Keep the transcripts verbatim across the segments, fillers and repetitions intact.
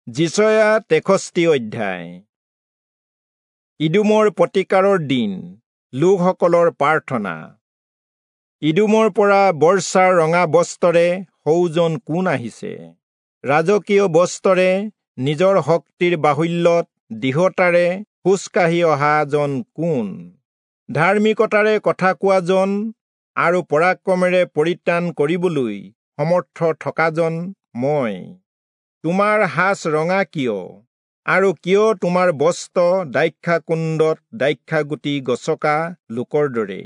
যিচয়া তেষষ্ঠি অধ্যায়। ইদোমৰ প্ৰতিকাৰৰ দিন, লোকসকলৰ প্ৰাৰ্থনা। ইদোমৰ পৰা বৰ্ষাৰ ৰঙা বস্ত্ৰৰে সৌজন কোন আহিছে? ৰাজকীয় বস্ত্ৰৰে নিজৰ শক্তিৰ বাহুল্যত দৃঢ়তাৰে খোজকাঢ়ি অহাজন কোন? ধাৰ্মিকতাৰে কথা কোৱাজন আৰু পৰাক্ৰমেৰে পৰিত্ৰাণ কৰিবলৈ সমৰ্থ থকাজন মই। তোমাৰ সাজ ৰঙা কিয়, আৰু কিয় তোমাৰ বস্ত্ৰ দ্ৰাক্ষাকুণ্ডত দ্ৰাক্ষাগুটি গচকা লোকৰ দৰে?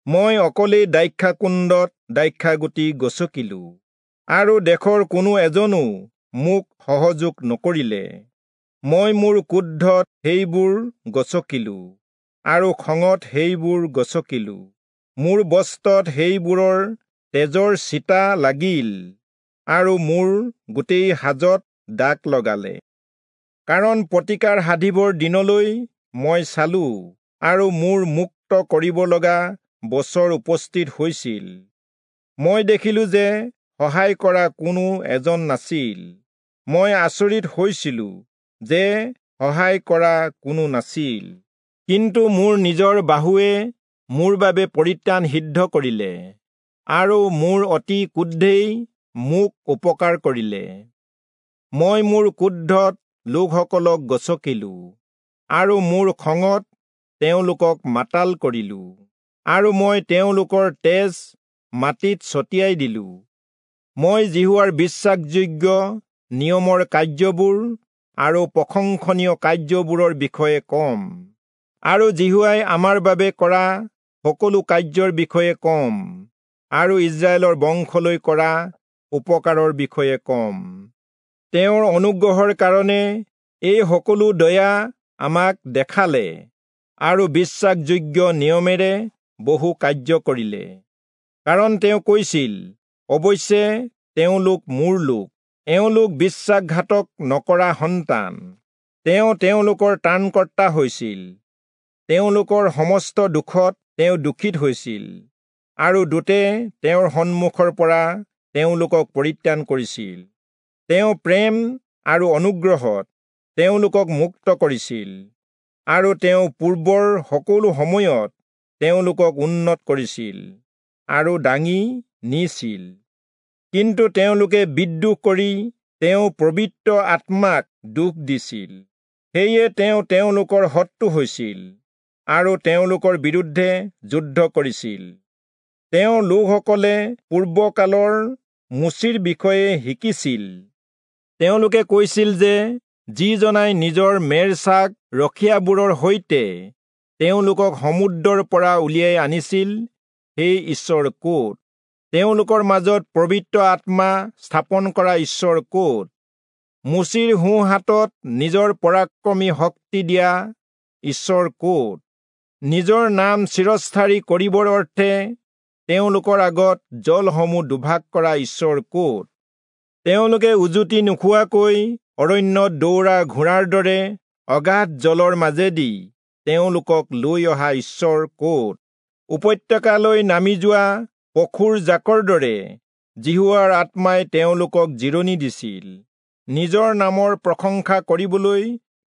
মই অকলেই দ্ৰাক্ষাকুণ্ডত দ্ৰাক্ষাগুটি গচকিলো, আৰু দেশৰ কোনো এজনো মোক সহযোগ নকৰিলে। মই মোৰ ক্ৰোধত সেইবোৰ গচকিলো, আৰু খঙত সেইবোৰ গচকিলো। মোৰ বস্ত্ৰত সেইবোৰৰ তেজৰ ছিটা লাগিল, আৰু মোৰ গোটেই সাজত দাগ লগালে। কাৰণ প্ৰতিকাৰ সাধিবৰ দিনলৈ মই চালো, আৰু মোৰ মুক্ত কৰিব লগা বছৰ উপস্থিত হৈছিল। মই দেখিলো যে সহায় কৰা কোনো এজন নাছিল। মই আচৰিত হৈছিলো যে সহায় কৰা কোনো নাছিল। কিন্তু মোৰ নিজৰ বাহুৱে মোৰ বাবে পৰিত্ৰাণ সিদ্ধ কৰিলে, আৰু মোৰ অতি ক্ৰোধেই মোক উপকাৰ কৰিলে। মই মোৰ ক্ৰোধত লোকসকলক গচকিলো, আৰু মোৰ খঙত তেওঁলোকক মাতাল কৰিলো, আৰু মই তেওঁলোকৰ তেজ মাটিত ছটিয়াই দিলো। মই যিহোৱাৰ বিশ্বাসযোগ্য নিয়মৰ কাৰ্যবোৰ আৰু প্ৰশংসনীয় কাৰ্যবোৰৰ বিষয়ে কম, আৰু যিহোৱাই আমাৰ বাবে কৰা সকলো কাৰ্যৰ বিষয়ে কম, আৰু ইস্ৰায়েলৰ বংশলৈ কৰা উপকাৰৰ বিষয়ে কম। তেওঁৰ অনুগ্ৰহৰ কাৰণে এই সকলো দয়া আমাক দেখালে, আৰু বিশ্বাসযোগ্য নিয়মেৰে বহু কাৰ্য কৰিলে। কাৰণ তেওঁ কৈছিল, অৱশ্যে তেওঁলোক মোৰ লোক, এওঁলোক বিশ্বাসঘাতক নকৰা সন্তান। তেওঁ তেওঁলোকৰ ত্ৰাণকৰ্তা হৈছিল, তেওঁলোকৰ সমস্ত দুখত তেওঁ দুখিত হৈছিল, আৰু দূতে তেওঁৰ সন্মুখৰ পৰা তেওঁলোকক পৰিত্ৰাণ কৰিছিল। তেওঁ প্ৰেম আৰু অনুগ্ৰহত তেওঁলোকক মুক্ত কৰিছিল, আৰু তেওঁ পূৰ্বৰ সকলো সময়ত তেওঁলোকক উন্নত কৰিছিল আৰু দাঙি নিছিল। কিন্তু তেওঁলোকে বিদ্ৰোহ কৰি তেওঁ পবিত্ৰ আত্মাক দুখ দিছিল। সেয়ে তেওঁ তেওঁলোকৰ শত্ৰু হৈছিল আৰু তেওঁলোকৰ বিৰুদ্ধে যুদ্ধ কৰিছিল। তেওঁ লোকসকলে পূৰ্বকালৰ মোচিৰ বিষয়ে শিকিছিল। তেওঁলোকে কৈছিল যে যিজনাই নিজৰ মেৰছাক ৰখীয়াবোৰৰ সৈতে তেওঁলোকক সমুদ্ৰৰ পৰা উলিয়াই আনিছিল, সেই ঈশ্বৰ ক'ত? তেওঁলোকৰ মাজত পবিত্ৰ আত্মা স্থাপন কৰা ঈশ্বৰ ক'ত? মোচিৰ সোঁহাতত নিজৰ পৰাক্ৰমী শক্তি দিয়া ঈশ্বৰ ক'ত? নিজৰ নাম চিৰস্থায়ী কৰিবৰ অৰ্থে তেওঁলোকৰ আগত জলসমূহ দুভাগ কৰা ঈশ্বৰ ক'ত? তেওঁলোকে উজুতি নোখোৱাকৈ অৰণ্যত দৌৰা ঘোঁৰাৰ দৰে অগাধ জলৰ মাজেদি তেওঁলোকক লৈ অহা ঈশ্বৰ ক'ত? উপত্যকালৈ নামি যোৱা পশুৰ জাকৰ দৰে যিহোৱাৰ আত্মাই তেওঁলোকক জিৰণি দিছিল। নিজৰ নামৰ প্ৰশংসা কৰিবলৈ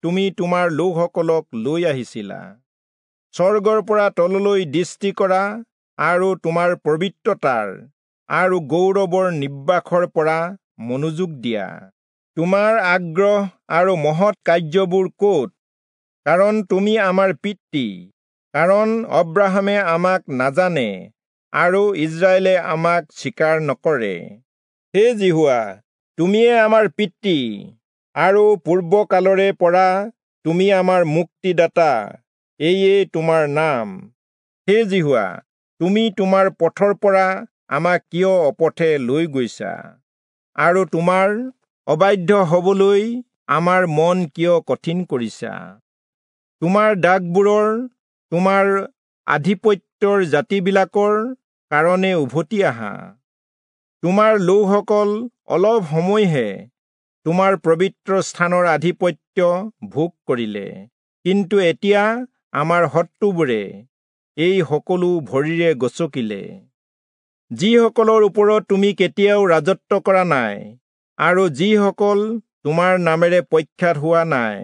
তুমি তোমাৰ লোকসকলক লৈ আহিছিলা। স্বৰ্গৰ পৰা তললৈ দৃষ্টি কৰা আৰু তোমাৰ পবিত্ৰতাৰ আৰু গৌৰৱৰ নিবাসৰ পৰা মনোযোগ দিয়া। তোমাৰ আগ্ৰহ আৰু মহৎ কাৰ্যবোৰ ক'ত? কাৰণ তুমি আমাৰ পিতৃ, কাৰণ অব্ৰাহামে আমাক নাজানে আৰু ইস্ৰায়েলে আমাক স্বীকাৰ নকৰে। হে যিহোৱা, তুমিয়ে আমাৰ পিতৃ, আৰু পূৰ্বকালৰে পৰা তুমি আমাৰ মুক্তিদাতা, এয়ে তোমাৰ নাম। হে যিহোৱা, তুমি তোমাৰ পথৰ পৰা আমাক কিয় অপথে লৈ গৈছা, আৰু তোমাৰ অবাধ্য হবলৈ আমাৰ মন কিয় কঠিন কৰিছা? তোমাৰ দাগবোৰৰ, তোমাৰ আধিপত্যৰ জাতিবিলাকৰ কাৰণে উভতি আহা। তোমাৰ লোকসকল অলপ সময়হে তোমাৰ পবিত্ৰ স্থানৰ আধিপত্য ভোগ কৰিলে, কিন্তু এতিয়া আমাৰ শত্ৰুবোৰে এই সকলো ভৰিৰে গচকিলে। যিসকলৰ ওপৰত তুমি কেতিয়াও ৰাজত্ব কৰা নাই, আৰু যিসকল তোমাৰ নামেৰে প্ৰখ্যাত হোৱা নাই,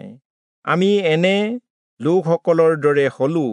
আমি এনে লোকসকলৰ দৰে হলো।